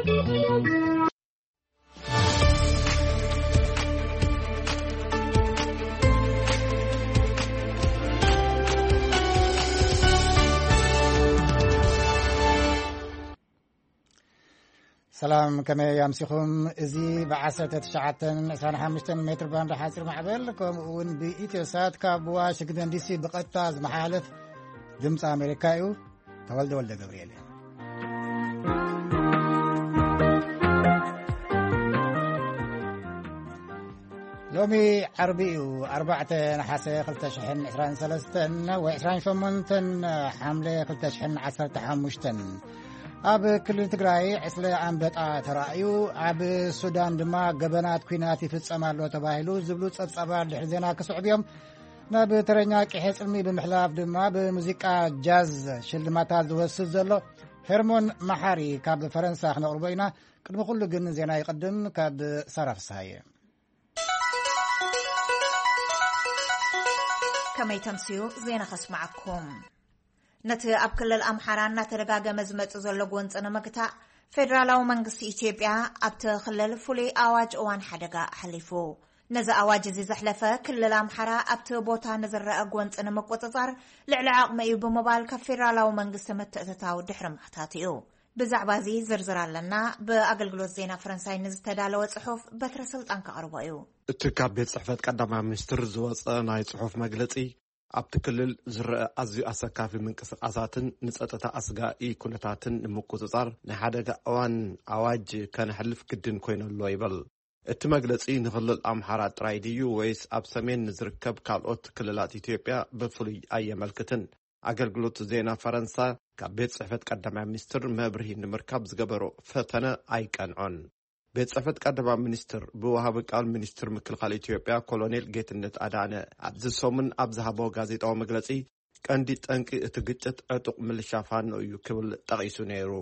ሰላም፣ ከመይ ኣምሲኹም? እዚ ብ19 25 ሜትር ባንድ ሓፂር ማዕበል፣ ከምኡ እውን ብኢትዮ ሳት ካብ ዋሽንግተን ዲሲ ብቐጥታ ዝመሓላለፍ ድምፂ ኣሜሪካ እዩ። ተወልደ ወልደ ገብርኤል እየ። ሎሚ ዓርቢ እዩ፣ ኣርባዕተ ነሓሰ ክልተ ሽሕን ዕስራን ሰለስተን ወይ ዕስራን ሸሞንተን ሓምለ ክልተ ሽሕን ዓሰርተ ሓሙሽተን። ኣብ ክልል ትግራይ ዕስለ ኣንበጣ ተራእዩ፣ ኣብ ሱዳን ድማ ገበናት ኲናት ይፍጸም ኣሎ ተባሂሉ ዝብሉ ጸብጻባት ድሕሪ ዜና ክስዕቡ እዮም። ናብ ተረኛ ቂሐ ጽልሚ ብምሕላፍ ድማ ብሙዚቃ ጃዝ ሽልማታት ዝወስድ ዘሎ ሄርሞን መሓሪ ካብ ፈረንሳ ክነቕርቦ ኢና። ቅድሚ ኩሉ ግን ዜና ይቕድም ካብ ሳራ ፍስሃየ። ከመይ ተምስዩ ዜና ከስማዓኩም። ነቲ ኣብ ክልል ኣምሓራ እናተደጋገመ ዝመጽእ ዘሎ ጎንጺ ንምግታእ፣ ፌደራላዊ መንግስቲ ኢትዮጵያ ኣብቲ ክልል ፍሉይ ኣዋጅ እዋን ሓደጋ ኣሕሊፉ። ነዚ ኣዋጅ እዚ ዘሕለፈ ክልል ኣምሓራ ኣብቲ ቦታ ንዝረአ ጎንጺ ንምቁጽጻር ልዕሊ ዓቕሚ እዩ ብምባል ካብ ፌደራላዊ መንግስቲ ምትእትታው ድሕሪ ምሕታት እዩ። ብዛዕባ እዚ ዝርዝር ኣለና። ብኣገልግሎት ዜና ፈረንሳይ ንዝተዳለወ ጽሑፍ በትረ ስልጣን ከቕርቦ እዩ። እቲ ካብ ቤት ጽሕፈት ቀዳማይ ሚኒስትር ዝወጸ ናይ ጽሑፍ መግለጺ፣ ኣብቲ ክልል ዝረአ ኣዝዩ ኣሰካፊ ምንቅስቓሳትን ንጸጥታ ኣስጋኢ ኩነታትን ንምቁጽጻር ናይ ሓደጋ እዋን ኣዋጅ ከነሕልፍ ግድን ኮይነሎ ይብል። እቲ መግለጺ ንክልል ኣምሓራ ጥራይ ድዩ ወይስ ኣብ ሰሜን ንዝርከብ ካልኦት ክልላት ኢትዮጵያ ብፍሉይ ኣየመልክትን። ኣገልግሎት ዜና ፈረንሳ ካብ ቤት ጽሕፈት ቀዳማይ ሚኒስትር መብርሂ ንምርካብ ዝገበሮ ፈተነ ኣይቀንዖን። ቤት ጽሕፈት ቀዳማይ ሚኒስትር ብወሃቢ ቃል ሚኒስትር ምክልኻል ኢትዮጵያ ኮሎኔል ጌትነት ኣዳነ ኣብዚ ሰሙን ኣብ ዝሃቦ ጋዜጣዊ መግለጺ፣ ቀንዲ ጠንቂ እቲ ግጭት ዕጡቕ ምልሻ ፋኖ እዩ ክብል ጠቒሱ ነይሩ።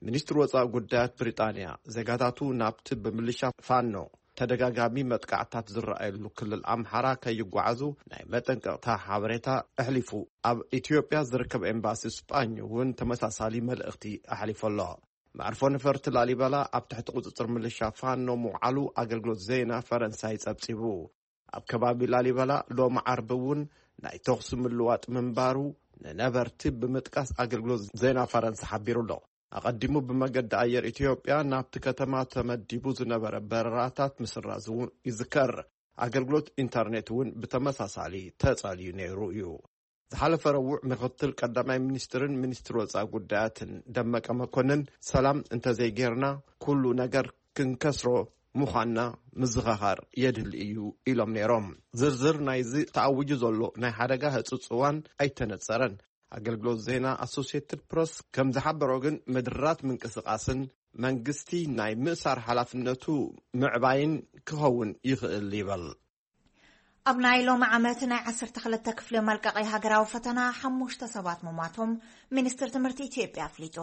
ሚኒስትሪ ወጻኢ ጉዳያት ብሪጣንያ፣ ዜጋታቱ ናብቲ ብምልሻ ፋኖ ተደጋጋሚ መጥቃዕታት ዝረኣየሉ ክልል ኣምሓራ ከይጓዓዙ ናይ መጠንቀቕታ ሓበሬታ ኣሕሊፉ። ኣብ ኢትዮጵያ ዝርከብ ኤምባሲ ስጳኝ እውን ተመሳሳሊ መልእኽቲ ኣሕሊፉ ኣሎ። መዕርፎ ነፈርቲ ላሊበላ ኣብ ትሕቲ ቁጽጽር ምልሻ ፋኖ ምውዓሉ ኣገልግሎት ዜና ፈረንሳይ ጸብጺቡ። ኣብ ከባቢ ላሊበላ ሎሚ ዓርቢ እውን ናይ ተኹሲ ምልዋጥ ምንባሩ ንነበርቲ ብምጥቃስ ኣገልግሎት ዜና ፈረንሳ ሓቢሩ ኣሎ። ኣቐዲሙ ብመገዲ ኣየር ኢትዮጵያ ናብቲ ከተማ ተመዲቡ ዝነበረ በረራታት ምስራዙ እውን ይዝከር። ኣገልግሎት ኢንተርኔት እውን ብተመሳሳሊ ተጸልዩ ነይሩ እዩ። ዝሓለፈ ረቡዕ ምክትል ቀዳማይ ሚኒስትርን ሚኒስትር ወጻኢ ጉዳያትን ደመቀ መኮንን፣ ሰላም እንተዘይጌርና ኩሉ ነገር ክንከስሮ ምዃንና ምዝኸኻር የድሊ እዩ ኢሎም ነይሮም። ዝርዝር ናይዚ ተኣዊጁ ዘሎ ናይ ሓደጋ ህጹጽ እዋን ኣይተነጸረን። ኣገልግሎት ዜና ኣሶሲየትድ ፕረስ ከም ዝሓበሮ ግን ምድራት ምንቅስቓስን መንግስቲ ናይ ምእሳር ሓላፍነቱ ምዕባይን ክኸውን ይኽእል ይበል። ኣብ ናይ ሎሚ ዓመት ናይ ዓሰርተ ክልተ ክፍሊ መልቀቒ ሃገራዊ ፈተና ሓሙሽተ ሰባት ምሟቶም ሚኒስትር ትምህርቲ ኢትዮጵያ ኣፍሊጡ።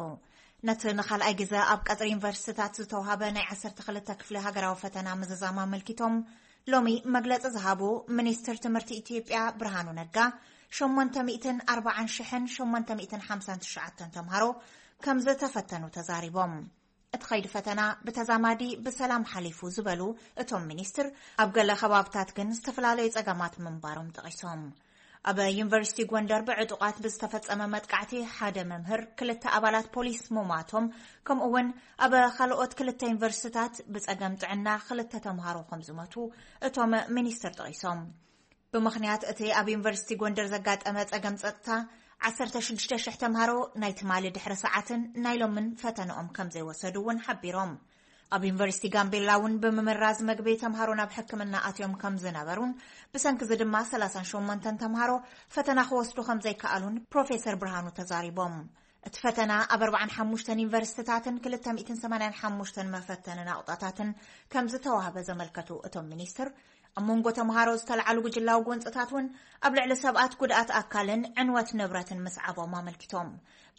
ነቲ ንኻልኣይ ግዜ ኣብ ቀጽሪ ዩኒቨርሲቲታት ዝተዋሃበ ናይ ዓሰርተ ክልተ ክፍሊ ሃገራዊ ፈተና ምዝዛም ኣመልኪቶም ሎሚ መግለጺ ዝሃቡ ሚኒስትር ትምህርቲ ኢትዮጵያ ብርሃኑ ነጋ፣ ሸሞንተ ሚእትን ኣርባዓን ሽሕን ሸሞንተ ሚእትን ሓምሳን ትሽዓተን ተምሃሮ ከም ዝተፈተኑ ተዛሪቦም። እቲ ኸይዲ ፈተና ብተዛማዲ ብሰላም ሓሊፉ ዝበሉ እቶም ሚኒስትር፣ ኣብ ገለ ከባብታት ግን ዝተፈላለዩ ጸገማት ምንባሮም ጠቒሶም። ኣብ ዩኒቨርሲቲ ጎንደር ብዕጡቓት ብዝተፈጸመ መጥቃዕቲ ሓደ መምህር፣ ክልተ ኣባላት ፖሊስ ምሟቶም፣ ከምኡ እውን ኣብ ካልኦት ክልተ ዩኒቨርሲቲታት ብጸገም ጥዕና ክልተ ተምሃሮ ከም ዝሞቱ እቶም ሚኒስትር ጠቒሶም። ብምኽንያት እቲ ኣብ ዩኒቨርሲቲ ጎንደር ዘጋጠመ ጸገም ጸጥታ፣ ዓሰርተ ሽዱሽተ ሽሕ ተምሃሮ ናይ ትማሊ ድሕሪ ሰዓትን ናይ ሎምን ፈተንኦም ከም ዘይወሰዱ እውን ሓቢሮም። ኣብ ዩኒቨርሲቲ ጋምቤላ እውን ብምምራዝ መግቢ ተምሃሮ ናብ ሕክምና ኣትዮም ከም ዝነበሩን ብሰንኪ እዚ ድማ ሰላሳን ሸሞንተን ተምሃሮ ፈተና ክወስዱ ከም ዘይከኣሉን ፕሮፌሰር ብርሃኑ ተዛሪቦም። እቲ ፈተና ኣብ ኣርባዓን ሓሙሽተን ዩኒቨርሲቲታትን ክልተ ሚእትን ሰማንያን ሓሙሽተን መፈተኒ ናቑጣታትን ከም ዝተዋህበ ዘመልከቱ እቶም ሚኒስትር፣ ኣብ መንጎ ተምሃሮ ዝተልዓሉ ጉጅላዊ ጎንፅታት እውን ኣብ ልዕሊ ሰባት ጉድኣት ኣካልን ዕንወት ንብረትን ምስዓቦም ኣመልኪቶም።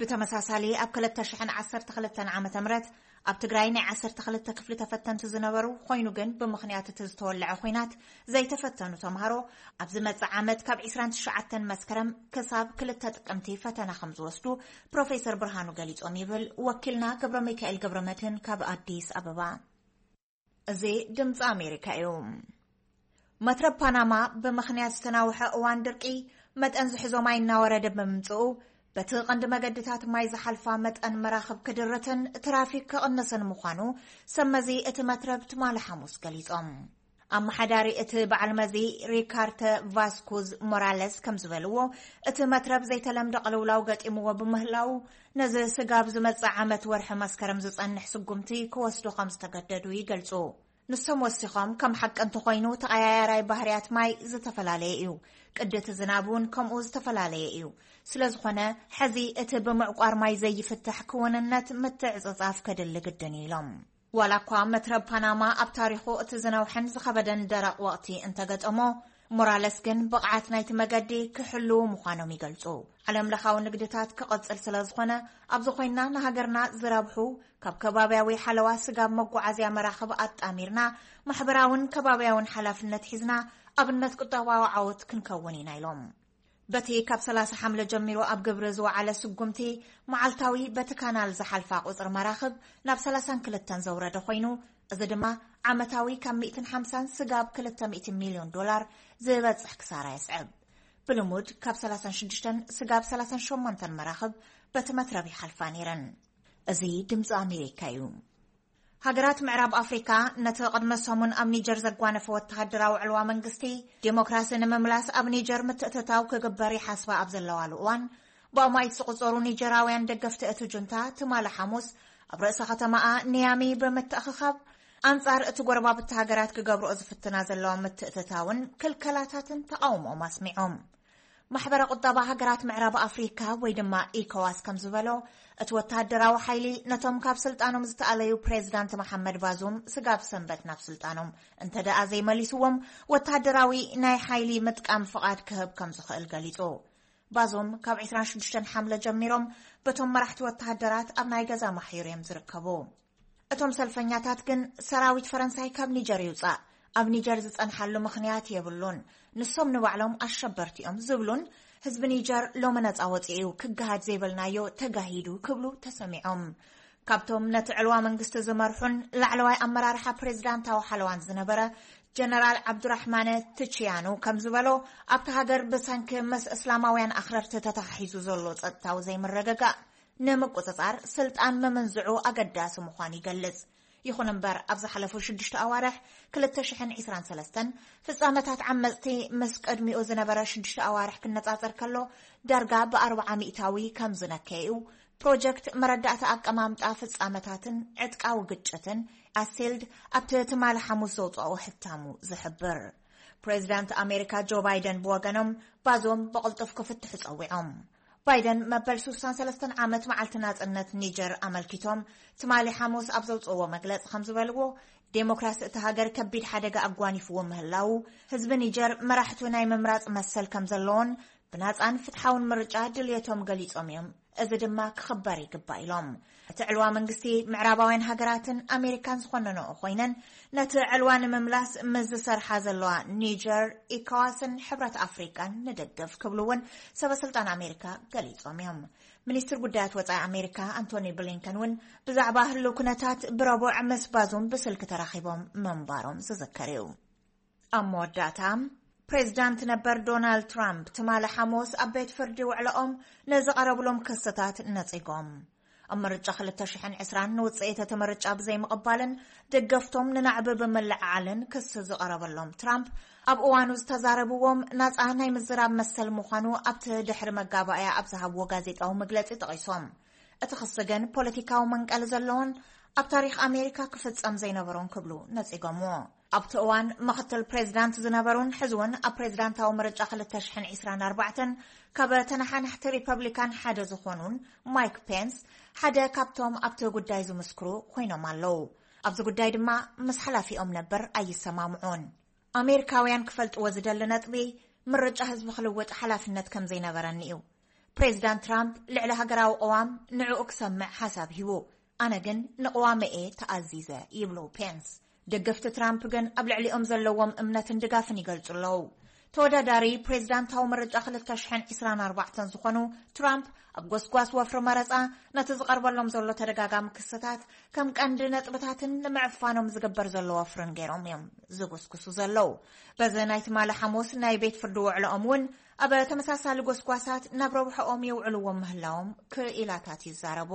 ብተመሳሳሊ ኣብ ክልተ ሽሕን ዓሰርተ ክልተን ዓመተ ምህረት ኣብ ትግራይ ናይ ዓሰርተ ክልተ ክፍሊ ተፈተንቲ ዝነበሩ ኮይኑ ግን ብምኽንያት እቲ ዝተወለዐ ኹናት ዘይተፈተኑ ተምሃሮ ኣብ ዝመፅእ ዓመት ካብ ዕስራን ትሽዓተን መስከረም ክሳብ ክልተ ጥቅምቲ ፈተና ከም ዝወስዱ ፕሮፌሰር ብርሃኑ ገሊፆም ይብል ወኪልና ገብረ ሚካኤል ገብረ መድህን ካብ ኣዲስ ኣበባ። እዚ ድምፂ ኣሜሪካ እዩ። መትረብ ፓናማ ብምኽንያት ዝተናውሐ እዋን ድርቂ መጠን ዝሕዞ ማይ እናወረደ ብምምፅኡ በቲ ቀንዲ መገድታት ማይ ዝሓልፋ መጠን መራኽብ ክድርትን ትራፊክ ክቕንስን ምዃኑ ሰመዚ እቲ መትረብ ትማሊ ሓሙስ ገሊጾም። ኣመሓዳሪ እቲ በዓል መዚ ሪካርተ ቫስኩዝ ሞራለስ ከም ዝበልዎ፣ እቲ መትረብ ዘይተለምደ ቅልውላው ገጢምዎ ብምህላው ነዚ ስጋብ ዝመጽእ ዓመት ወርሒ መስከረም ዝጸንሕ ስጉምቲ ክወስዱ ከም ዝተገደዱ ይገልጹ። ንሶም ወሲኾም፣ ከም ሓቂ እንተኾይኑ ተቐያያራይ ባህርያት ማይ ዝተፈላለየ እዩ። ቅዲ እቲ ዝናብ እውን ከምኡ ዝተፈላለየ እዩ። ስለ ዝኾነ፣ ሕዚ እቲ ብምዕቋር ማይ ዘይፍታሕ ክውንነት ምትዕጽጻፍ ከድሊ ግድን እዩ ኢሎም። ዋላ እኳ መትረብ ፓናማ ኣብ ታሪኹ እቲ ዝነውሐን ዝኸበደን ደረቕ ወቕቲ እንተገጠሞ፣ ሞራለስ ግን ብቕዓት ናይቲ መገዲ ክሕልዉ ምዃኖም ይገልጹ። ዓለም ለኻዊ ንግድታት ክቕጽል ስለ ዝኾነ፣ ኣብዚ ኮይንና ንሃገርና ዝረብሑ ካብ ከባብያዊ ሓለዋ ስጋብ መጓዓዝያ መራኽብ ኣጣሚርና ማሕበራውን ከባብያውን ሓላፍነት ሒዝና ኣብነት ቁጠባዊ ዓወት ክንከውን ኢና ኢሎም። በቲ ካብ ሰላሳ ሓምለ ጀሚሩ ኣብ ግብሪ ዝወዓለ ስጉምቲ መዓልታዊ በቲ ካናል ዝሓልፋ ቁጽሪ መራኽብ ናብ ሰላሳን ክልተን ዘውረደ ኮይኑ፣ እዚ ድማ ዓመታዊ ካብ ሚእትን ሓምሳን ስጋብ ክልተ ሚእቲ ሚልዮን ዶላር ዝበጽሕ ክሳራ የስዕብ። ብልሙድ ካብ ሰላሳን ሽዱሽተን ስጋብ ሰላሳን ሸሞንተን መራኽብ በቲ መትረብ ይሓልፋ ነይረን። እዚ ድምፂ ኣሜሪካ እዩ። ሃገራት ምዕራብ ኣፍሪካ ነቲ ቅድመ ሰሙን ኣብ ኒጀር ዘጓነፈ ወተሃደራዊ ዕልዋ መንግስቲ ዴሞክራሲ ንምምላስ ኣብ ኒጀር ምትእትታው ክግበር ይሓስባ ኣብ ዘለዋሉ እዋን፣ ብኣማኢት ዝቑጸሩ ኒጀራውያን ደገፍቲ እቲ ጁንታ ትማሊ ሓሙስ ኣብ ርእሰ ከተማኣ ኒያሚ ብምትእኽኻብ ኣንጻር እቲ ጎረባብቲ ሃገራት ክገብርኦ ዝፍትና ዘለዋ ምትእትታውን ክልከላታትን ተቓውሞኦም ኣስሚዖም። ማሕበረ ቁጠባ ሃገራት ምዕራብ ኣፍሪካ ወይ ድማ ኢኮዋስ ከም ዝበሎ፣ እቲ ወተሃደራዊ ሓይሊ ነቶም ካብ ስልጣኖም ዝተኣለዩ ፕሬዚዳንት መሓመድ ባዙም ስጋብ ሰንበት ናብ ስልጣኖም እንተ ደኣ ዘይመሊስዎም፣ ወተሃደራዊ ናይ ሓይሊ ምጥቃም ፍቓድ ክህብ ከም ዝኽእል ገሊጹ። ባዙም ካብ ዕስራን ሽዱሽተን ሓምለ ጀሚሮም በቶም መራሕቲ ወተሃደራት ኣብ ናይ ገዛ ማሕዩር እዮም ዝርከቡ። እቶም ሰልፈኛታት ግን ሰራዊት ፈረንሳይ ካብ ኒጀር ይውጻእ፣ ኣብ ኒጀር ዝጸንሓሉ ምኽንያት የብሉን፣ ንሶም ንባዕሎም ኣሸበርቲ እዮም ዝብሉን ህዝቢ ኒጀር ሎሚ ነጻ ወጺኡ ክገሃድ ዘይበልናዮ ተጋሂዱ ክብሉ ተሰሚዖም። ካብቶም ነቲ ዕልዋ መንግስቲ ዝመርሑን ላዕለዋይ ኣመራርሓ ፕሬዚዳንታዊ ሓለዋን ዝነበረ ጀነራል ዓብዱራሕማነ ትቺያኑ ከም ዝበሎ፣ ኣብቲ ሃገር ብሰንኪ ምስ እስላማውያን ኣኽረርቲ ተተሓሒዙ ዘሎ ጸጥታዊ ዘይምርግጋእ ንምቁጽጻር ስልጣን ምምንዝዑ ኣገዳሲ ምዃኑ ይገልጽ። ይኹን እምበር፣ ኣብ ዝሓለፉ ሽዱሽተ ኣዋርሕ ክልተ ሽሕን ዕስራን ሰለስተን ፍጻመታት ዓመጽቲ ምስ ቅድሚኡ ዝነበረ ሽዱሽተ ኣዋርሕ ክነጻጸር ከሎ ዳርጋ ብኣርብዓ ሚእታዊ ከም ዝነከየኡ ፕሮጀክት መረዳእታ ኣቀማምጣ ፍጻመታትን ዕጥቃዊ ግጭትን ኣሴልድ ኣብቲ ትማሊ ሓሙስ ዘውጽኦ ሕታሙ ዝሕብር። ፕሬዚዳንት ኣሜሪካ ጆ ባይደን ብወገኖም ባዞም ብቕልጡፍ ክፍትሑ ጸዊዖም። ባይደን መበል ስሳን ሰለስተን ዓመት መዓልቲ ናጽነት ኒጀር ኣመልኪቶም ትማሊ ሓሙስ ኣብ ዘውጽእዎ መግለጺ ከም ዝበልዎ፣ ዴሞክራሲ እቲ ሃገር ከቢድ ሓደጋ ኣጓኒፍዎ ምህላው፣ ህዝቢ ኒጀር መራሕቱ ናይ ምምራጽ መሰል ከም ዘለዎን ብናጻን ፍትሓውን ምርጫ ድልየቶም ገሊጾም እዮም። እዚ ድማ ክኽበር ይግባእ ኢሎም። እቲ ዕልዋ መንግስቲ ምዕራባውያን ሃገራትን ኣሜሪካን ዝኾነነኦ ኮይነን፣ ነቲ ዕልዋ ንምምላስ ምስ ዝሰርሓ ዘለዋ ኒጀር፣ ኢኮዋስን ሕብረት ኣፍሪቃን ንደግፍ ክብሉ እውን ሰበ ስልጣን ኣሜሪካ ገሊጾም እዮም። ሚኒስትር ጉዳያት ወጻኢ ኣሜሪካ ኣንቶኒ ብሊንከን እውን ብዛዕባ ህልው ኩነታት ብረቡዕ ምስ ባዙም ብስልኪ ተራኺቦም ምንባሮም ዝዝከር እዩ። ኣብ መወዳእታ፣ ፕሬዚዳንት ነበር ዶናልድ ትራምፕ ትማሊ ሓሙስ ኣብ ቤት ፍርዲ ውዕለኦም ንዝቐረብሎም ክስታት ነጺጎም። ኣብ ምርጫ ክልተ ሽሕን ዕስራን ንውጽኢት እቲ ምርጫ ብዘይምቕባልን ደገፍቶም ንናዕቢ ብምልዕዓልን ክሲ ዝቐረበሎም ትራምፕ፣ ኣብ እዋኑ ዝተዛረብዎም ናጻ ናይ ምዝራብ መሰል ምዃኑ ኣብቲ ድሕሪ መጋባእያ ኣብ ዝሃብዎ ጋዜጣዊ መግለጺ ጠቒሶም። እቲ ክሲ ግን ፖለቲካዊ መንቀሊ ዘለዎን ኣብ ታሪኽ ኣሜሪካ ክፍጸም ዘይነበሮን ክብሉ ነጺጎምዎ። ኣብቲ እዋን ምኽትል ፕሬዚዳንት ዝነበሩን ሕዚ እውን ኣብ ፕሬዚዳንታዊ ምርጫ ክልተ ሽሕን ዕስራን ኣርባዕተን ካብ ተነሓናሕቲ ሪፐብሊካን ሓደ ዝኾኑን ማይክ ፔንስ ሓደ ካብቶም ኣብቲ ጉዳይ ዝምስክሩ ኮይኖም ኣለዉ። ኣብዚ ጉዳይ ድማ ምስ ሓላፊኦም ነበር ኣይሰማምዑን። ኣሜሪካውያን ክፈልጥዎ ዝደሊ ነጥቢ፣ ምርጫ ህዝቢ ክልውጥ ሓላፍነት ከም ዘይነበረኒ እዩ። ፕሬዚዳንት ትራምፕ ልዕሊ ሃገራዊ ቅዋም ንዕኡ ክሰምዕ ሓሳብ ሂቡ፣ ኣነ ግን ንቅዋመ እየ ተኣዚዘ ይብሉ ፔንስ። ደገፍቲ ትራምፕ ግን ኣብ ልዕሊኦም ዘለዎም እምነትን ድጋፍን ይገልጹ ኣለዉ። ተወዳዳሪ ፕሬዚዳንታዊ ምርጫ ክልተ ሽሕን ዕስራን ኣርባዕተን ዝኾኑ ትራምፕ ኣብ ጎስጓስ ወፍሪ መረጻ ነቲ ዝቐርበሎም ዘሎ ተደጋጋሚ ክስታት ከም ቀንዲ ነጥብታትን ንምዕፋኖም ዝግበር ዘሎ ወፍርን ገይሮም እዮም ዝጉስጉሱ ዘለዉ። በዚ ናይ ትማሊ ሓሙስ ናይ ቤት ፍርዲ ውዕሎኦም እውን ኣብ ተመሳሳሊ ጎስጓሳት ናብ ረብሐኦም የውዕልዎም ምህላዎም ክኢላታት ይዛረቡ።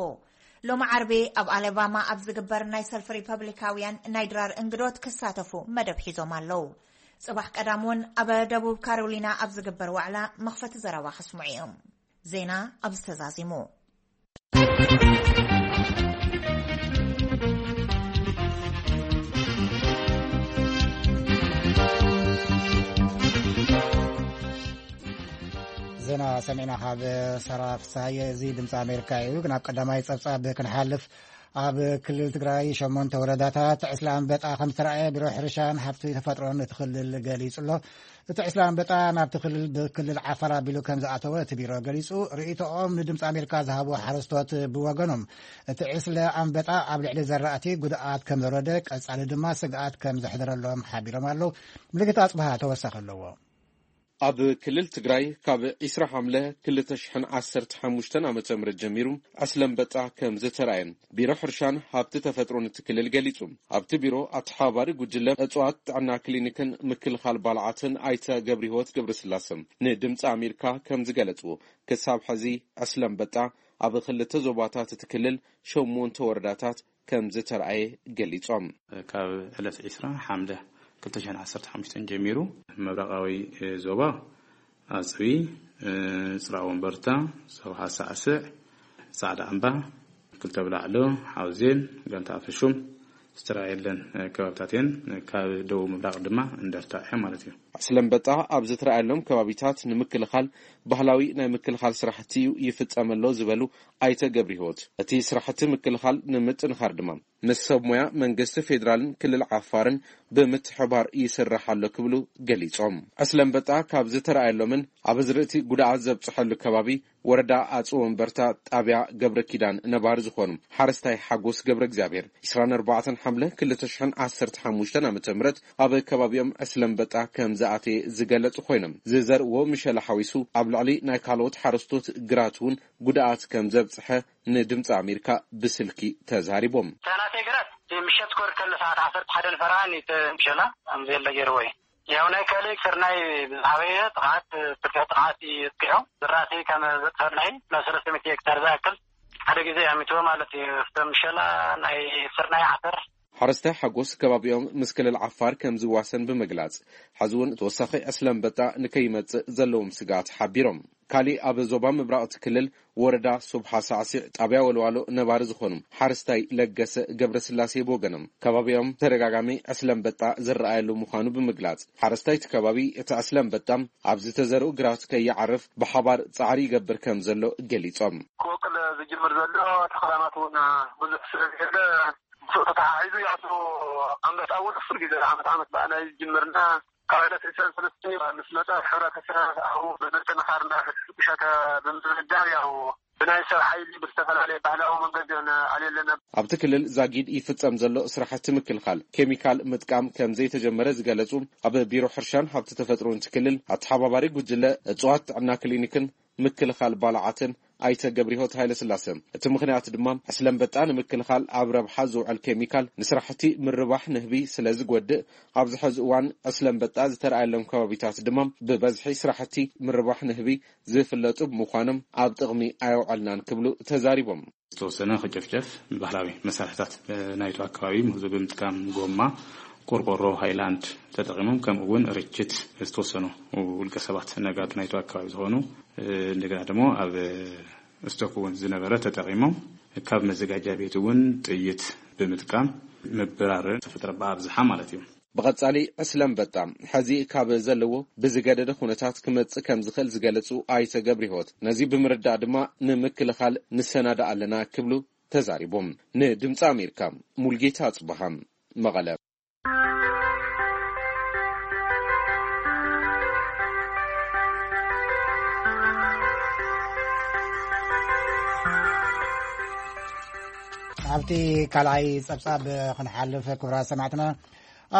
ሎሚ ዓርቢ ኣብ ኣለባማ ኣብ ዝግበር ናይ ሰልፊ ሪፐብሊካውያን ናይ ድራር እንግዶት ክሳተፉ መደብ ሒዞም ኣለዉ። ጽባሕ ቀዳም እውን ኣብ ደቡብ ካሮሊና ኣብ ዝግበር ዋዕላ መኽፈቲ ዘረባ ከስምዑ እዮም። ዜና ኣብዚ ተዛዚሙ። ዜና ሰሚዕና ካብ ሰራ ፍስሃየ። እዚ ድምፂ ኣሜሪካ እዩ። ናብ ቀዳማይ ፀብፃብ ክንሓልፍ፣ ኣብ ክልል ትግራይ ሸሞንተ ወረዳታት ዕስለ ኣንበጣ ከም ዝተረኣየ ቢሮ ሕርሻን ሃብቲ ተፈጥሮን እቲ ክልል ገሊጹ ኣሎ። እቲ ዕስለ ኣንበጣ ናብቲ ክልል ብክልል ዓፋር ኣቢሉ ከም ዝኣተወ እቲ ቢሮ ገሊጹ። ርእይቶኦም ንድምፂ ኣሜሪካ ዝሃቡ ሓረስቶት ብወገኖም፣ እቲ ዕስለ ኣንበጣ ኣብ ልዕሊ ዘራእቲ ጉድኣት ከም ዘውረደ፣ ቀጻሊ ድማ ስግኣት ከም ዘሕደረሎም ሓቢሮም ኣለዉ። ምልክት ኣጽብሃ ተወሳኺ ኣለዎ። ኣብ ክልል ትግራይ ካብ ዕስራ ሓምለ ክልተ ሽሕን ዓሰርተ ሓሙሽተን ዓመተ ምህረት ጀሚሩ ዕስለ ኣንበጣ ከም ዝተራእየን ቢሮ ሕርሻን ሃብቲ ተፈጥሮን እቲ ክልል ገሊጹ። ኣብቲ ቢሮ ኣተሓባባሪ ጉጅለ እጽዋት ጥዕና ክሊኒክን ምክልኻል ባልዓትን ኣይተ ገብረህይወት ገብረስላሰ ንድምፂ ኣሜሪካ ከም ዝገለጽዎ፣ ክሳብ ሕዚ ዕስለ ኣንበጣ ኣብ ክልተ ዞባታት እቲ ክልል ሸሞንተ ወረዳታት ከም ዝተራእየ ገሊጾም። ካብ ዕለት ዕስራ ሓምለ ክልተ ሽሕን ዓሰርተ ሓሙሽተን ጀሚሩ ምብራቓዊ ዞባ ኣፅቢ፣ ፅራእ ወንበርታ፣ ሰውሓ ሳዕስዕ፣ ፃዕዳ ኣምባ፣ ክልተ ብላዕሎ፣ ሓውዜን፣ ጋንታ ኣፈሹም ዝተረኣየለን ከባብታት እየን። ካብ ደቡብ ምብራቕ ድማ እንደርታ እያ ማለት እዩ። ዕስለ ኣንበጣ ኣብ ዝተረኣየሎም ከባቢታት ንምክልኻል ባህላዊ ናይ ምክልኻል ስራሕቲ እዩ ይፍጸም ኣሎ ዝበሉ ኣይተ ገብረህይወት፣ እቲ ስራሕቲ ምክልኻል ንምጥንኻር ድማ ምስ ሰብ ሞያ መንግስቲ ፌዴራልን ክልል ዓፋርን ብምትሕባር ይስራሕ ኣሎ ክብሉ ገሊጾም። ዕስለ ኣንበጣ ካብ ዝተረኣየሎምን ኣብ ኣዝርእቲ ጉድኣት ዘብጽሐሉ ከባቢ ወረዳ ኣጽቢ ወንበርታ ጣብያ ገብረ ኪዳን ነባሪ ዝኾኑ ሓረስታይ ሓጎስ ገብረ እግዚኣብሔር ዕስራን ኣርባዕተን ሓምለ ክልተ ሽሕን ዓሰርተ ሓሙሽተን ዓመተ ምህረት ኣብ ከባቢኦም ዕስለ ኣንበጣ ከም ዝኣተየ ዝገለጹ ኮይኖም፣ ዝዘርእዎ ምሸላ ሓዊሱ ኣብ ልዕሊ ናይ ካልኦት ሓረስቶት ግራት እውን ጉድኣት ከም ዘብጽሐ ንድምፂ ኣሜሪካ ብስልኪ ተዛሪቦም። እታ ናተይ ግራት ምሸት ክወርድ ከሎ ሰዓት ዓሰርተ ሓደ ንፈረቓ ኒት ምሸላ ከም ዘየለ ገይርዎ እዩ። ያው ናይ ካልእ ስርናይ ብዝሓበየ ጥቕዓት፣ ስርናይ ጥቕዓት እዩ የጥቅዖ። ዝራእቲ ከም ዘጥፈርናይ ናብ ሰለስተ ሚእቲ ሄክታር ዝኣክል ሓደ ግዜ ኣሚትዎ ማለት እዩ። እቶም ምሸላ ናይ ስርናይ ዓፈር። ሓረስታይ ሓጎስ ከባቢኦም ምስ ክልል ዓፋር ከም ዝዋሰን ብምግላጽ፣ ሕዚ እውን ተወሳኺ ዕስለ ኣንበጣ ንከይመጽእ ዘለዎም ስግኣት ሓቢሮም። ካሊእ ኣብ ዞባ ምብራቕ እቲ ክልል ወረዳ ሱብሓ ሳዕሲዕ ጣብያ ወልዋሎ ነባሪ ዝኾኑ ሓረስታይ ለገሰ ገብረስላሴ ብወገኖም፣ ከባቢኦም ተደጋጋሚ ዕስለ ኣንበጣ ዝረኣየሉ ምዃኑ ብምግላጽ፣ ሓረስታይ እቲ ከባቢ እቲ ዕስለ ኣንበጣ ኣብ ዝተዘርኡ ግራት ከይዓርፍ ብሓባር ጻዕሪ ይገብር ከም ዘሎ ገሊጾም። ክወቅል ዝጅምር ዘሎ ተኽላማት እውን ብዙሕ ስለ ዝሄደ፣ ምስኡ ተተሓሒዙ ያቱ ኣንበጣ እውን ኩሉ ግዜ ዓመት ዓመት በኣና እዩ ዝጅምርና። ካብ ዕለት ዕስራን ሰለስተን እዩ ምስ መጸ፣ ሕብረተሰብ ኣብኡ ብምጥንኻር እንዳሸተ ብምድርዳር፣ ያው ብናይ ሰብ ሓይሊ ብዝተፈላለየ ባህላዊ መንገዲ ኣለና። ኣብቲ ክልል ዛጊድ ይፍጸም ዘሎ ስራሕቲ ምክልኻል ኬሚካል ምጥቃም ከም ዘይተጀመረ ዝገለጹ ኣብ ቢሮ ሕርሻን ሃብቲ ተፈጥሮን እቲ ክልል ኣተሓባባሪ ጉጅለ እጽዋት ጥዕና ክሊኒክን ምክልኻል ባልዓትን ኣይተ ገብረህይወት ሃይለስላሰ፣ እቲ ምኽንያት ድማ ዕስለ ኣንበጣ ንምክልኻል ኣብ ረብሓ ዝውዕል ኬሚካል ንስራሕቲ ምርባሕ ንህቢ ስለ ዝጎድእ፣ ኣብዚ ሕዚ እዋን ዕስለ ኣንበጣ ዝተረኣየሎም ከባቢታት ድማ ብበዝሒ ስራሕቲ ምርባሕ ንህቢ ዝፍለጡ ብምዃኖም ኣብ ጥቕሚ ኣየውዐልናን ክብሉ ተዛሪቦም። ዝተወሰነ ክጨፍጨፍ ብባህላዊ መሳርሕታት ናይቱ ኣከባቢ፣ ምህዞ ብምጥቃም ጎማ፣ ቆርቆሮ፣ ሃይላንድ ተጠቒሞም፣ ከምኡ እውን ርችት ዝተወሰኑ ውልቀ ሰባት ነጋዶ ናይቱ ኣከባቢ ዝኾኑ፣ እንደገና ደግሞ ኣብ ስቶክ እውን ዝነበረ ተጠቒሞም፣ ካብ መዘጋጃ ቤት እውን ጥይት ብምጥቃም ምብራር ተፈጥረ ብኣብዝሓ ማለት እዩ። ብቐጻሊ ዕስለ ኣንበጣ ሕዚ ካብ ዘለዎ ብዝገደደ ኩነታት ክመጽእ ከም ዝኽእል ዝገለጹ ኣይተ ገብረህይወት፣ ነዚ ብምርዳእ ድማ ንምክልኻል ንሰናዳእ ኣለና ክብሉ ተዛሪቦም። ንድምፂ ኣሜሪካ ሙልጌታ ኣጽበሃ፣ መቐለ። ኣብቲ ካልኣይ ጸብጻብ ክንሓልፍ፣ ክቡራት ሰማዕትና፣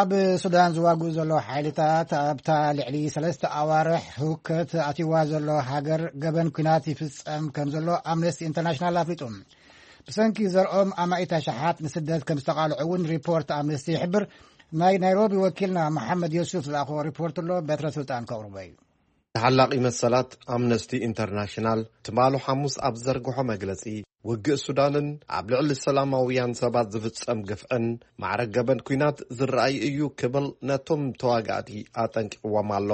ኣብ ሱዳን ዝዋግኡ ዘለዉ ሓይልታት ኣብታ ልዕሊ ሰለስተ ኣዋርሕ ህውከት ኣትይዋ ዘሎ ሃገር ገበን ኲናት ይፍጸም ከም ዘሎ ኣምነስቲ ኢንተርናሽናል ኣፍሊጡ። ብሰንኪ ዘርኦም ኣማኢት ኣሽሓት ንስደት ከም ዝተቓልዑ እውን ሪፖርት ኣምነስቲ ይሕብር። ናይ ናይሮቢ ወኪልና መሓመድ ዮሱፍ ዝለኣኽዎ ሪፖርት ኣሎ፣ በትረ ስልጣን ከቕርቦ እዩ። ተሓላቒ መሰላት ኣምነስቲ ኢንተርናሽናል ትማሉ ሓሙስ ኣብ ዘርግሖ መግለጺ፣ ውግእ ሱዳንን ኣብ ልዕሊ ሰላማውያን ሰባት ዝፍጸም ግፍዕን ማዕረ ገበን ኲናት ዝረኣይ እዩ ክብል ነቶም ተዋጋእቲ ኣጠንቂቕዎም ኣሎ።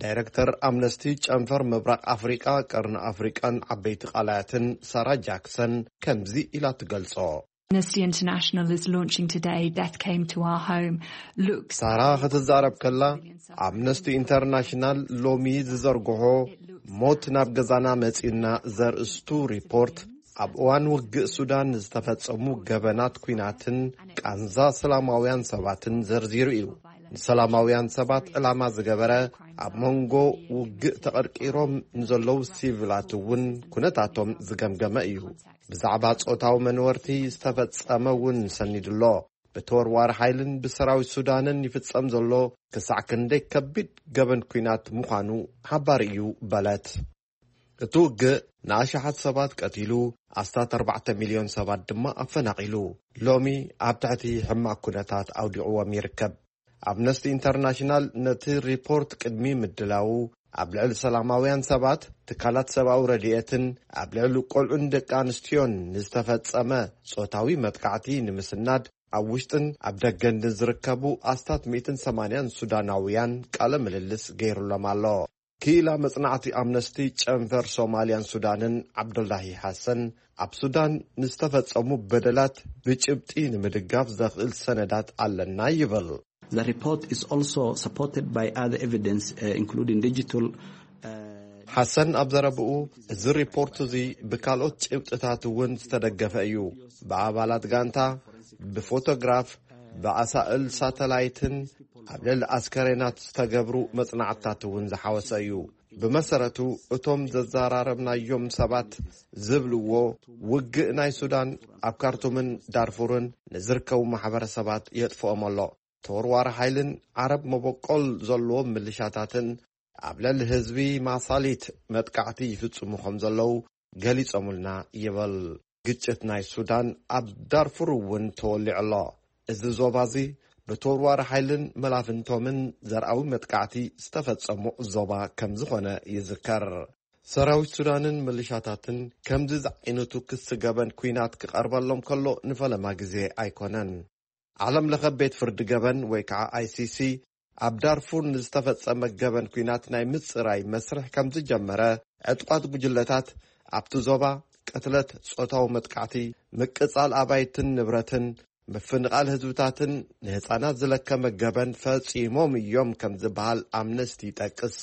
ዳይረክተር ኣምነስቲ ጨንፈር ምብራቕ ኣፍሪቃ፣ ቀርኒ ኣፍሪቃን ዓበይቲ ቃላያትን ሳራ ጃክሰን ከምዚ ኢላ ትገልጾ። Amnesty International is launching today Death Came to Our Home. Look, ሳራ ክትዛረብ ከላ፣ ኣምነስቲ ኢንተርናሽናል ሎሚ ዝዘርግሖ ሞት ናብ ገዛና መጺኡና ዘርእስቱ ሪፖርት ኣብ እዋን ውግእ ሱዳን ዝተፈጸሙ ገበናት ኲናትን ቃንዛ ሰላማውያን ሰባትን ዘርዚሩ እዩ። ንሰላማውያን ሰባት ዕላማ ዝገበረ፣ ኣብ መንጎ ውግእ ተቐርቂሮም ንዘለዉ ሲቪላት እውን ኩነታቶም ዝገምገመ እዩ። ብዛዕባ ጾታዊ መንወርቲ ዝተፈጸመ እውን ሰኒዱ ኣሎ። ብተወርዋሪ ሓይልን ብሰራዊት ሱዳንን ይፍጸም ዘሎ ክሳዕ ክንደይ ከቢድ ገበን ኲናት ምዃኑ ሓባሪ እዩ በለት። እቲ ውግእ ንኣሽሓት ሰባት ቀቲሉ፣ ኣስታት ኣርባዕተ ሚልዮን ሰባት ድማ ኣፈናቒሉ፣ ሎሚ ኣብ ትሕቲ ሕማቕ ኩነታት ኣውዲቕዎም ይርከብ። ኣምነስቲ ኢንተርናሽናል ነቲ ሪፖርት ቅድሚ ምድላዉ፣ ኣብ ልዕሊ ሰላማውያን ሰባት፣ ትካላት ሰብኣዊ ረድኤትን ኣብ ልዕሊ ቆልዑን ደቂ ኣንስትዮን ንዝተፈጸመ ጾታዊ መጥቃዕቲ ንምስናድ ኣብ ውሽጥን ኣብ ደገን ንዝርከቡ ኣስታት ሚእትን ሰማንያን ሱዳናውያን ቃለ ምልልስ ገይሩሎም ኣሎ። ክኢላ መጽናዕቲ ኣምነስቲ ጨንፈር ሶማልያን ሱዳንን ዓብዱላሂ ሓሰን፣ ኣብ ሱዳን ንዝተፈጸሙ በደላት ብጭብጢ ንምድጋፍ ዘኽእል ሰነዳት ኣለና ይብል። The report is also supported by other evidence, uh, including digital, uh, ሓሰን ኣብ ዘረብኡ፣ እዚ ሪፖርት እዚ ብካልኦት ጭብጥታት እውን ዝተደገፈ እዩ። ብኣባላት ጋንታ፣ ብፎቶግራፍ፣ ብኣሳእል ሳተላይትን ኣብ ልዕሊ ኣስከሬናት ዝተገብሩ መጽናዕትታት እውን ዝሓወሰ እዩ። ብመሰረቱ፣ እቶም ዘዘራረብናዮም ሰባት ዝብልዎ፣ ውግእ ናይ ሱዳን ኣብ ካርቱምን ዳርፉርን ንዝርከቡ ማሕበረሰባት የጥፍኦም ኣሎ። ተወርዋሪ ሓይልን ዓረብ መበቆል ዘለዎም ምልሻታትን ኣብ ልዕሊ ህዝቢ ማሳሊት መጥቃዕቲ ይፍጽሙ ከም ዘለዉ ገሊጾምልና ይብል። ግጭት ናይ ሱዳን ኣብ ዳርፉር እውን ተወሊዑ ኣሎ። እዚ ዞባ እዚ ብተወርዋሪ ሓይልን መላፍንቶምን ዘርኣዊ መጥቃዕቲ ዝተፈጸሙ ዞባ ከም ዝኾነ ይዝከር። ሰራዊት ሱዳንን ምልሻታትን ከምዚ ዝዓይነቱ ክሲ ገበን ኲናት ክቐርበሎም ከሎ ንፈለማ ግዜ ኣይኮነን። ዓለም ለኸ ቤት ፍርዲ ገበን ወይ ከዓ ኣይ ሲ ሲ ኣብ ዳርፉር ንዝተፈጸመ ገበን ኲናት ናይ ምጽራይ መስርሕ ከም ዝጀመረ፣ ዕጡቓት ጉጅለታት ኣብቲ ዞባ ቅትለት፣ ጾታዊ መጥቃዕቲ፣ ምቅጻል ኣባይትን ንብረትን፣ ምፍንቓል ህዝብታትን ንህጻናት ዝለከመ ገበን ፈጺሞም እዮም ከም ዝበሃል ኣምነስቲ ይጠቅስ።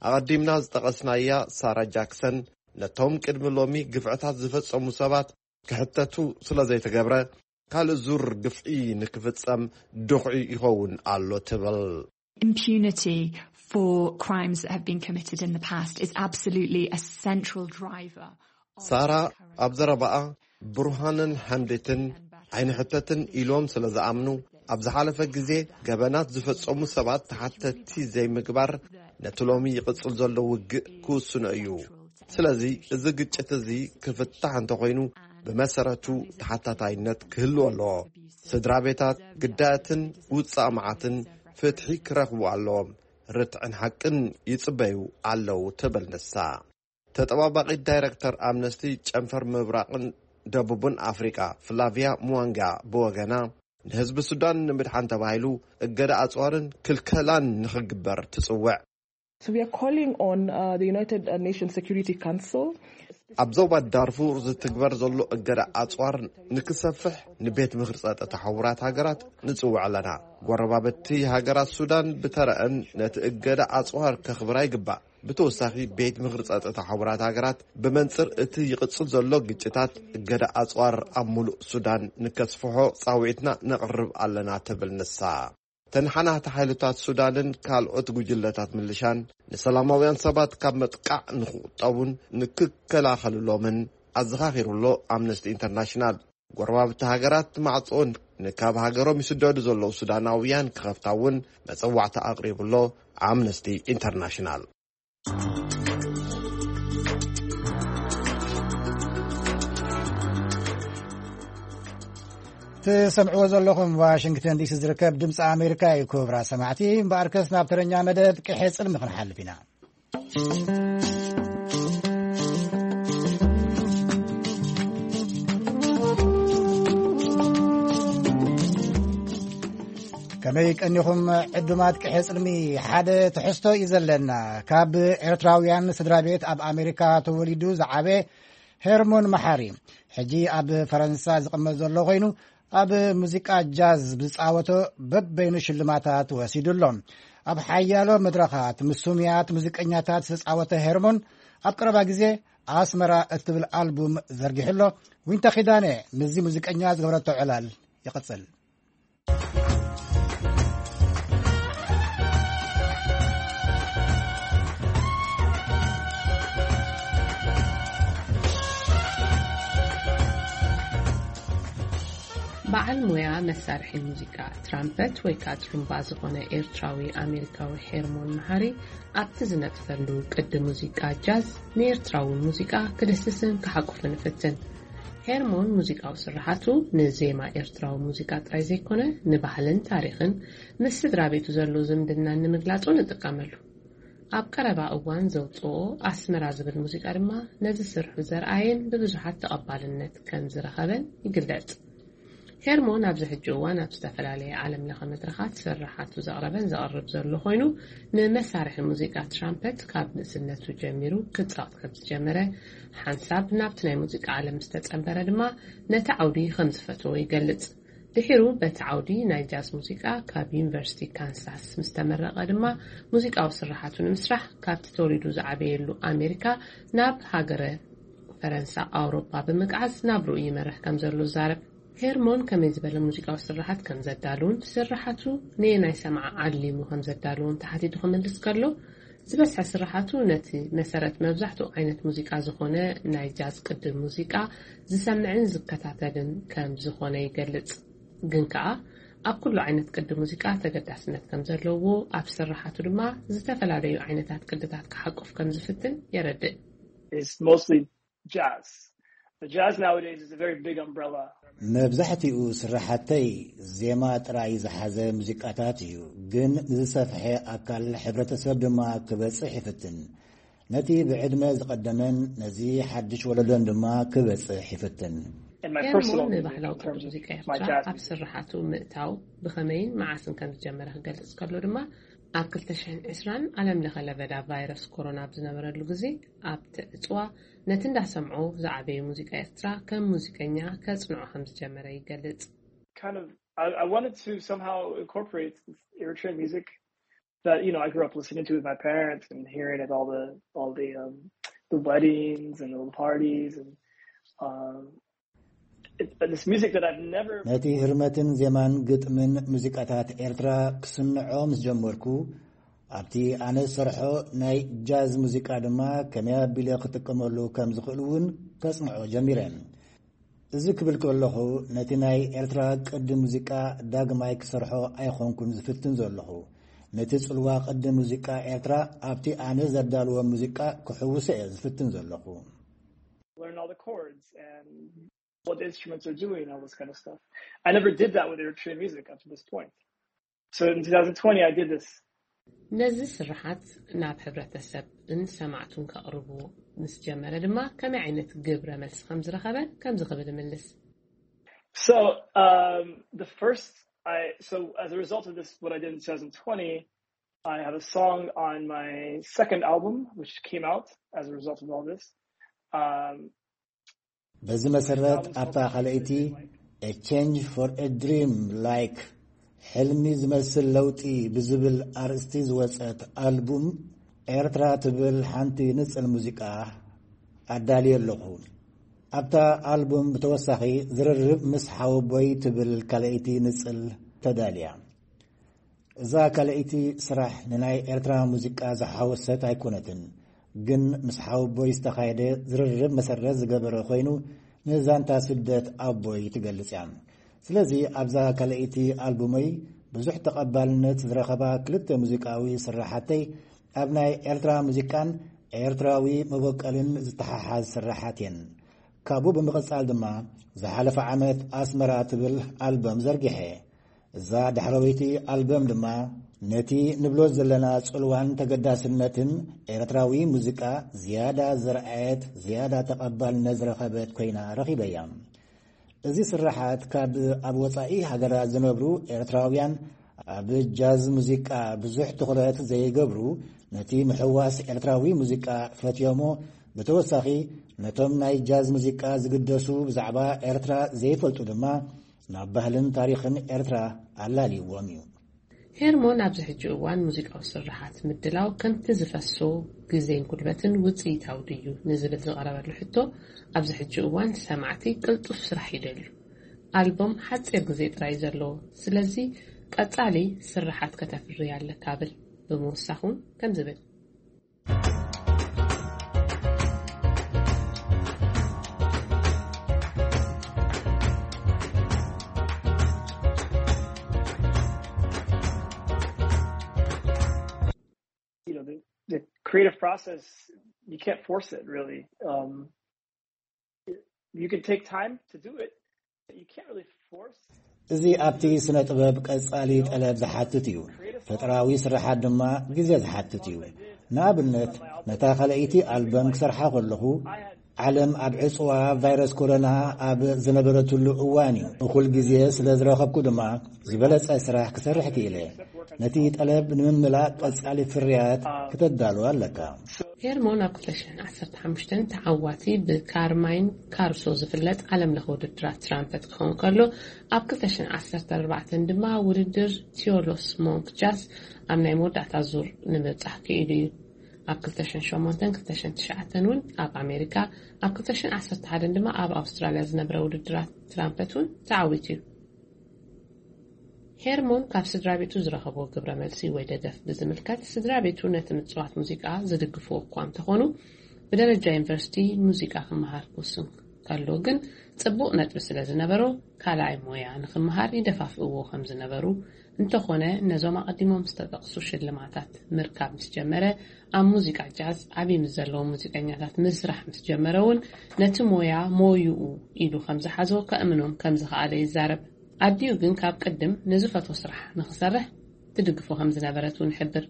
ኣቐዲምና ዝጠቐስናያ ሳራ ጃክሰን፣ ነቶም ቅድሚ ሎሚ ግፍዕታት ዝፈጸሙ ሰባት ክሕተቱ ስለ ዘይተገብረ፣ ካልእ ዙር ግፍዒ ንክፍጸም ድኹዒ ይኸውን ኣሎ ትብል። Impunity for crimes that have been committed in the past is absolutely a central driver of ሳራ ኣብ ዘረባኣ፣ ብሩሃንን ሓምድትን ኣይንሕተትን ኢሎም ስለ ዝኣምኑ፣ ኣብ ዝሓለፈ ግዜ ገበናት ዝፈጸሙ ሰባት ተሓተትቲ ዘይምግባር ነቲ ሎሚ ይቕጽል ዘሎ ውግእ ክውስኖ እዩ። ስለዚ እዚ ግጭት እዚ ክፍታሕ እንተኾይኑ፣ ብመሰረቱ ተሓታታይነት ክህልዎ ኣለዎ። ስድራ ቤታት፣ ግዳያትን ውጻእ መዓትን ፍትሒ ክረኽቡ ኣለዎም። ርትዕን ሓቅን ይጽበዩ ኣለዉ ትብል ንሳ። ተጠባባቒት ዳይረክተር ኣምነስቲ ጨንፈር ምብራቕን ደቡብን ኣፍሪቃ ፍላቪያ ሙዋንጋ ብወገና፣ ንህዝቢ ሱዳን ንምድሓን ተባሂሉ እገዳ ኣጽዋርን ክልከላን ንኽግበር ትጽውዕ። So we are calling on, uh, the United Nations Security Council. ኣብ ዞባ ዳርፉር ዝትግበር ዘሎ እገዳ ኣጽዋር ንክሰፍሕ ንቤት ምኽሪ ጸጥታ ሕቡራት ሃገራት ንጽውዕ ኣለና። ጎረባብቲ ሃገራት ሱዳን ብተረአን ነቲ እገዳ ኣጽዋር ከኽብራ ይግባእ። ብተወሳኺ፣ ቤት ምኽሪ ጸጥታ ሕቡራት ሃገራት ብመንጽር እቲ ይቕጽል ዘሎ ግጭታት፣ እገዳ ኣጽዋር ኣብ ሙሉእ ሱዳን ንከስፍሖ ጻውዒትና ነቕርብ ኣለና ትብል ንሳ። ተነሓናሕቲ ሓይልታት ሱዳንን ካልኦት ጉጅለታት ምልሻን ንሰላማውያን ሰባት ካብ መጥቃዕ ንክቑጠቡን ንክከላኸልሎምን ኣዘኻኺሩ ኣሎ ኣምነስቲ ኢንተርናሽናል። ጎረባብቲ ሃገራት ማዕጾ ንካብ ሃገሮም ይስደዱ ዘለዉ ሱዳናውያን ክኸፍታ እውን መጸዋዕታ ኣቕሪቡ ኣሎ ኣምነስቲ ኢንተርናሽናል። ትሰምዕዎ ዘለኹም ዋሽንግተን ዲሲ ዝርከብ ድምፂ ኣሜሪካ እዩ። ክቡራት ሰማዕቲ፣ እምበኣርከስ ናብ ተረኛ መደብ ቅሐ ጽልሚ ክንሓልፍ ኢና። ከመይ ቀኒኹም ዕዱማት ቅሐ ጽልሚ? ሓደ ትሕዝቶ እዩ ዘለና። ካብ ኤርትራውያን ስድራ ቤት ኣብ ኣሜሪካ ተወሊዱ ዝዓበ ሄርሞን መሓሪ፣ ሕጂ ኣብ ፈረንሳ ዝቕመጥ ዘሎ ኮይኑ፣ ኣብ ሙዚቃ ጃዝ ብዝጻወቶ በበይኑ ሽልማታት ወሲዱ ኣሎ። ኣብ ሓያሎ መድረኻት ምስ ስሙያት ሙዚቀኛታት ዝተጻወተ ሄርሞን፣ ኣብ ቀረባ ግዜ ኣስመራ እትብል ኣልቡም ዘርጊሑ ኣሎ። ዊንታ ኪዳነ ምስዚ ሙዚቀኛ ዝገበረቶ ዕላል ይቕጽል። በዓል ሞያ መሳርሒ ሙዚቃ ትራምፐት ወይ ከዓ ጥሩምባ ዝኾነ ኤርትራዊ ኣሜሪካዊ ሄርሞን መሓሪ ኣብቲ ዝነጥፈሉ ቅዲ ሙዚቃ ጃዝ ንኤርትራዊ ሙዚቃ ክድህስስን ክሓቁፍን ይፍትን። ሄርሞን ሙዚቃዊ ስርሓቱ ንዜማ ኤርትራዊ ሙዚቃ ጥራይ ዘይኮነ፣ ንባህልን ታሪኽን ምስ ስድራ ቤቱ ዘሎ ዝምድናን ንምግላጹ ንጥቀመሉ። ኣብ ቀረባ እዋን ዘውጽኦ ኣስመራ ዝብል ሙዚቃ ድማ ነዚ ስርሑ ዘርኣየን ብብዙሓት ተቐባልነት ከም ዝረኸበን ይግለጽ። ሄርሞን ኣብዚ ሕጂ እዋን ኣብ ዝተፈላለየ ዓለም ለኸ መድረኻት ስርሓቱ ዘቕረበን ዘቕርብ ዘሎ ኮይኑ፣ ንመሳርሒ ሙዚቃ ትራምፐት ካብ ንእስነቱ ጀሚሩ ክጻወት ከም ዝጀመረ፣ ሓንሳብ ናብቲ ናይ ሙዚቃ ዓለም ምስ ተጸንበረ ድማ ነቲ ዓውዲ ከም ዝፈተዎ ይገልጽ። ድሒሩ በቲ ዓውዲ ናይ ጃዝ ሙዚቃ ካብ ዩኒቨርሲቲ ካንሳስ ምስ ተመረቐ ድማ፣ ሙዚቃዊ ስርሓቱ ንምስራሕ ካብቲ ተወሊዱ ዝዓበየሉ ኣሜሪካ ናብ ሃገረ ፈረንሳ ኣውሮፓ ብምግዓዝ ናብርኡ ይመርሕ ከም ዘሎ ይዛረብ። ሄርሞን ከመይ ዝበለ ሙዚቃዊ ስርሓት ከም ዘዳልውን፣ ስርሓቱ ነየናይ ሰማዓ ዓሊሙ ከም ዘዳልውን ተሓቲቱ ክምልስ ከሎ፣ ዝበዝሐ ስርሓቱ ነቲ መሰረት መብዛሕትኡ ዓይነት ሙዚቃ ዝኾነ ናይ ጃዝ ቅዲ ሙዚቃ ዝሰምዕን ዝከታተልን ከም ዝኾነ ይገልጽ። ግን ከኣ ኣብ ኩሉ ዓይነት ቅዲ ሙዚቃ ተገዳስነት ከም ዘለዎ፣ ኣብ ስርሓቱ ድማ ዝተፈላለዩ ዓይነታት ቅድታት ክሓቁፍ ከም ዝፍትን የረድእ። It's mostly jazz. The jazz nowadays is a very big umbrella. መብዛሕትኡ ስርሓተይ ዜማ ጥራይ ዝሓዘ ሙዚቃታት እዩ፣ ግን ንዝሰፍሐ ኣካል ሕብረተሰብ ድማ ክበጽሕ ይፍትን። ነቲ ብዕድመ ዝቐደመን ነዚ ሓድሽ ወለዶን ድማ ክበጽሕ ይፍትን። In my personal ሄርሞን music, ንባህላዊ in ቅዲ terms of ሙዚቃ my ኤርትራ jazz ኣብ music. ስርሓቱ ምእታው ብኸመይን መዓስን ከም ዝጀመረ ክገልጽ ከሎ ድማ፣ ኣብ ክልተ ሽሕን ዕስራን ዓለም ለኸ ለበዳ ቫይረስ ኮሮና ኣብ ዝነበረሉ ግዜ፣ ኣብቲ ዕጽዋ ነቲ እንዳሰምዖ ዝዓበየ ሙዚቃ ኤርትራ ከም ሙዚቀኛ ከጽንዖ ከም ዝጀመረ ይገልጽ። Kind of, I, I wanted to somehow incorporate Eritrean music that, you know, I grew up listening to with my parents and hearing at all the, all the, um, the weddings and all the parties and, um, it, this music that I've never ነቲ ህርመትን ዜማን ግጥምን ሙዚቃታት ኤርትራ ክስንዖ ምስ ጀመርኩ፣ ኣብቲ ኣነ ዝሰርሖ ናይ ጃዝ ሙዚቃ ድማ ከመይ ኣቢለ ክጥቀመሉ ከም ዝኽእል እውን ከጽንዖ ጀሚረ። እዚ ክብል ከለኹ፣ ነቲ ናይ ኤርትራ ቅዲ ሙዚቃ ዳግማይ ክሰርሖ ኣይኾንኩን ዝፍትን ዘለኹ። ነቲ ጽልዋ ቅዲ ሙዚቃ ኤርትራ ኣብቲ ኣነ ዘዳልዎ ሙዚቃ ክሕውሶ እየ ዝፍትን ዘለኹ። Learn all the chords and what the instruments are doing, all this kind of stuff. I never did that with Eritrean music up to this point. So in two thousand twenty, I did this. ነዚ ስርሓት ናብ ሕብረተሰብን ሰማዕቱን ከቕርቡ ምስ ጀመረ ድማ፣ ከመይ ዓይነት ግብረ መልሲ ከም ዝረኸበ ከምዚ ክብል ይምልስ። So, um, the first, I, so as a result of this, what I did in two thousand twenty, I have a song on my second album, which came out as a result of all this. Um, በዚ መሰረት፣ ኣብታ ካልኣይቲ A Change for a Dream Like፣ ሕልሚ ዝመስል ለውጢ ብዝብል ኣርእስቲ ዝወጸት ኣልቡም፣ ኤርትራ ትብል ሓንቲ ንጽል ሙዚቃ ኣዳልየ ኣለኹ። ኣብታ ኣልቡም ብተወሳኺ ዝርርብ ምስ ሓወቦይ ትብል ካልኣይቲ ንጽል ተዳልያ። እዛ ካልኣይቲ ስራሕ ንናይ ኤርትራ ሙዚቃ ዝሓወሰት ኣይኮነትን፣ ግን ምስ ሓወቦይ ዝተኻየደ ዝርርብ መሰረት ዝገበረ ኮይኑ፣ ንዛንታ ስደት ኣቦይ ትገልጽ እያ። ስለዚ ኣብዛ ካልኣይቲ ኣልቡመይ ብዙሕ ተቐባልነት ዝረኸባ ክልተ ሙዚቃዊ ስራሓተይ ኣብ ናይ ኤርትራ ሙዚቃን ኤርትራዊ መበቀልን ዝተሓሓዝ ስራሓት እየን። ካብኡ ብምቕጻል ድማ ዝሓለፈ ዓመት ኣስመራ ትብል ኣልበም ዘርጊሐ። እዛ ዳሕረወይቲ ኣልበም ድማ ነቲ ንብሎ ዘለና ጽልዋን ተገዳስነትን ኤርትራዊ ሙዚቃ ዝያዳ ዘርኣየት፣ ዝያዳ ተቐባልነት ዝረኸበት ኮይና ረኺበያ። እዚ ስርሓት ካብ ኣብ ወጻኢ ሃገራት ዝነብሩ ኤርትራውያን ኣብ ጃዝ ሙዚቃ ብዙሕ ትኹረት ዘይገብሩ፣ ነቲ ምሕዋስ ኤርትራዊ ሙዚቃ ፈትዮሞ፣ ብተወሳኺ ነቶም ናይ ጃዝ ሙዚቃ ዝግደሱ ብዛዕባ ኤርትራ ዘይፈልጡ ድማ ናብ ባህልን ታሪኽን ኤርትራ ኣላልይዎም እዩ። ሄርሞን ኣብዚ ሕጂ እዋን ሙዚቃዊ ስርሓት ምድላው ከምቲ ዝፈሶ ግዜን ጉልበትን ውጽኢታዊ ድዩ ንዝብል ዝቐረበሉ ሕቶ፣ ኣብዚ ሕጂ እዋን ሰማዕቲ ቅልጡፍ ስራሕ ይደልዩ። ኣልቦም ሓጺር ግዜ ጥራይ ዘለዎ፣ ስለዚ ቀጻሊ ስርሓት ከተፍሪ ኣለካ ብል ብምውሳኹን ከም ዝብል you know, the, the creative process, you can't force it really. Um, you can take time to do it, but you can't really force. እዚ ኣብቲ ስነ ጥበብ ቀጻሊ ጠለብ ዝሓትት እዩ። ፈጠራዊ ስርሓት ድማ ግዜ ዝሓትት እዩ። ንኣብነት፣ ነታ ካልኣይቲ ኣልበም ክሰርሓ ከለኹ ዓለም ኣብ ዕጽዋ ቫይረስ ኮሮና ኣብ ዝነበረትሉ እዋን እዩ። እኹል ግዜ ስለ ዝረኸብኩ ድማ ዝበለጸ ስራሕ ክሰርሕ ክኢለ። ነቲ ጠለብ ንምምላእ ቀጻሊ ፍርያት ክተዳሉ ኣለካ። ሄርሞን ኣብ ክልተ ሽሕን ዓሰርተ ሓሙሽተን ተዓዋቲ ብካርማይን ካርሶ ዝፍለጥ ዓለም ለኸ ውድድራት ትራምፐት ክኸውን ከሎ፣ ኣብ ክልተ ሽሕን ዓሰርተ ኣርባዕተን ድማ ውድድር ቲዮሎስ ሞንክ ጃዝ ኣብ ናይ መወዳእታ ዙር ንምብጻሕ ክኢሉ እዩ። ኣብ ክልተ ሽሕን ሸሞንተን ክልተ ሽሕን ትሽዓተን እውን ኣብ ኣሜሪካ፣ ኣብ ክልተ ሽሕን ዓሰርተ ሓደን ድማ ኣብ ኣውስትራልያ ዝነብረ ውድድራት ትራምፐት እውን ተዓዊቱ እዩ። ሄርሞን ካብ ስድራ ቤቱ ዝረኸቦ ግብረ መልሲ ወይ ደገፍ ብዝምልከት፣ ስድራ ቤቱ ነቲ ምጽዋት ሙዚቃ ዝድግፍዎ እኳ እንተኾኑ፣ ብደረጃ ዩኒቨርሲቲ ሙዚቃ ክመሃር ክውስን ከሎ ግን ጽቡቕ ነጥቢ ስለ ዝነበሮ፣ ካልኣይ ሞያ ንኽመሃር ይደፋፍእዎ ከም ዝነበሩ፣ እንተኾነ ነዞም ኣቐዲሞም ዝተጠቕሱ ሽልማታት ምርካብ ምስ ጀመረ፣ ኣብ ሙዚቃ ጃዝ ዓቢ ምስ ዘለዉ ሙዚቀኛታት ምስራሕ ምስ ጀመረ እውን፣ ነቲ ሞያ ሞይኡ ኢሉ ከም ዝሓዞ ከእምኖም ከም ዝኸኣለ ይዛረብ። ኣዲኡ ግን ካብ ቅድም ንዝፈትዎ ስራሕ ንኽሰርሕ ትድግፎ ከም ዝነበረት እውን ይሕብር።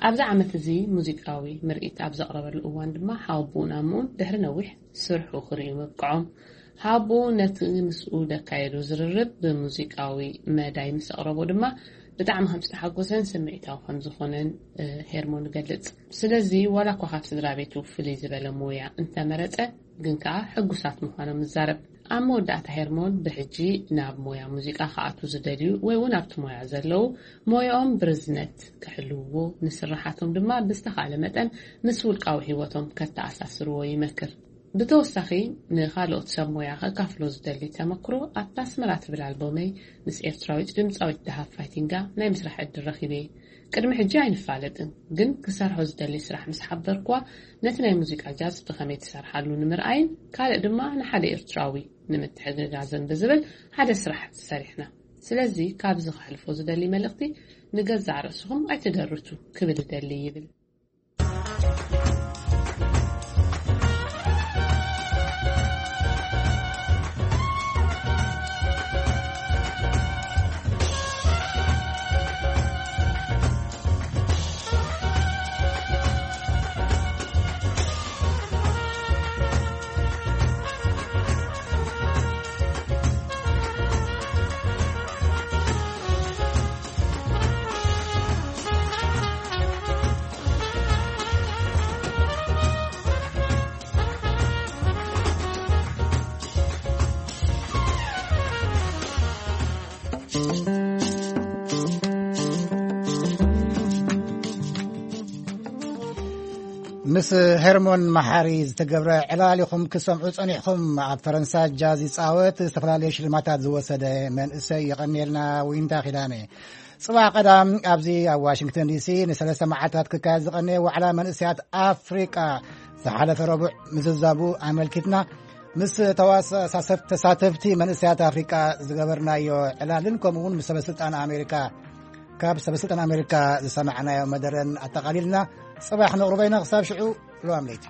ኣብዚ ዓመት እዚ ሙዚቃዊ ምርኢት ኣብ ዘቕረበሉ እዋን ድማ ሓወቦኡን ኣምኡን ድሕሪ ነዊሕ ስርሑ ክርእዩ ምብቅዖም፣ ሓወቦኡ ነቲ ምስኡ ደካየዶ ዝርርብ ብሙዚቃዊ መዳይ ምስ ኣቕረቦ ድማ ብጣዕሚ ከም ዝተሓጎሰን ስምዒታዊ ከም ዝኾነን ሄርሞን ይገልጽ። ስለዚ ዋላ እኳ ካብ ስድራ ቤቱ ፍልይ ዝበለ ሞያ እንተመረጸ፣ ግን ከኣ ሕጉሳት ምዃኖም ይዛረብ። ኣብ መወዳእታ ሄርሞን ብሕጂ ናብ ሞያ ሙዚቃ ክኣቱ ዝደልዩ ወይ እውን ኣብቲ ሞያ ዘለዉ ሞያኦም ብርዝነት ክሕልውዎ፣ ንስርሓቶም ድማ ብዝተኻእለ መጠን ምስ ውልቃዊ ህይወቶም ከተኣሳስርዎ ይመክር። ብተወሳኺ ንኻልኦት ሰብ ሞያ ከካፍሎ ዝደሊ ተመክሮ ኣብታ ኣስመራ ትብል ኣልቦመይ ምስ ኤርትራዊት ድምጻዊት ደሃብ ፋይቲንጋ ናይ ምስራሕ ዕድል ረኺበ። ቅድሚ ሕጂ ኣይንፋለጥን፣ ግን ክሰርሖ ዝደሊ ስራሕ ምስ ሓበርኩዋ ነቲ ናይ ሙዚቃ ጃዝ ብኸመይ ትሰርሓሉ ንምርኣይን ካልእ ድማ ንሓደ ኤርትራዊ ንምትሕግጋዝን ብዝብል ሓደ ስራሕ ሰሪሕና። ስለዚ ካብዚ ከሕልፎ ዝደሊ መልእኽቲ ንገዛእ ርእስኹም ኣይትደርቱ ክብል እደሊ ይብል። ምስ ሄርሞን መሓሪ ዝተገብረ ዕላል ኢኹም ክሰምዑ ጸኒሕኹም። ኣብ ፈረንሳ ጃዝ ይጻወት፣ ዝተፈላለዩ ሽልማታት ዝወሰደ መንእሰይ። የቐንየልና ዊንታ ኪዳነ። ጽባሕ ቀዳም ኣብዚ ኣብ ዋሽንግተን ዲሲ ንሰለስተ መዓልታት ክካየድ ዝቐነየ ዋዕላ መንእሰያት ኣፍሪቃ ዝሓለፈ ረቡዕ ምዝዛቡ ኣመልኪትና ምስ ተዋሳሰብ ተሳተፍቲ መንእሰያት ኣፍሪቃ ዝገበርናዮ ዕላልን ከምኡ እውን ምስ ሰበስልጣን ኣሜሪካ ካብ ሰበስልጣን ኣሜሪካ ዝሰማዕናዮ መደረን ኣጠቓሊልና ጽባሕ ነቕርቦ ኢና። ክሳብ ሽዑ ለዋም ለይቲ።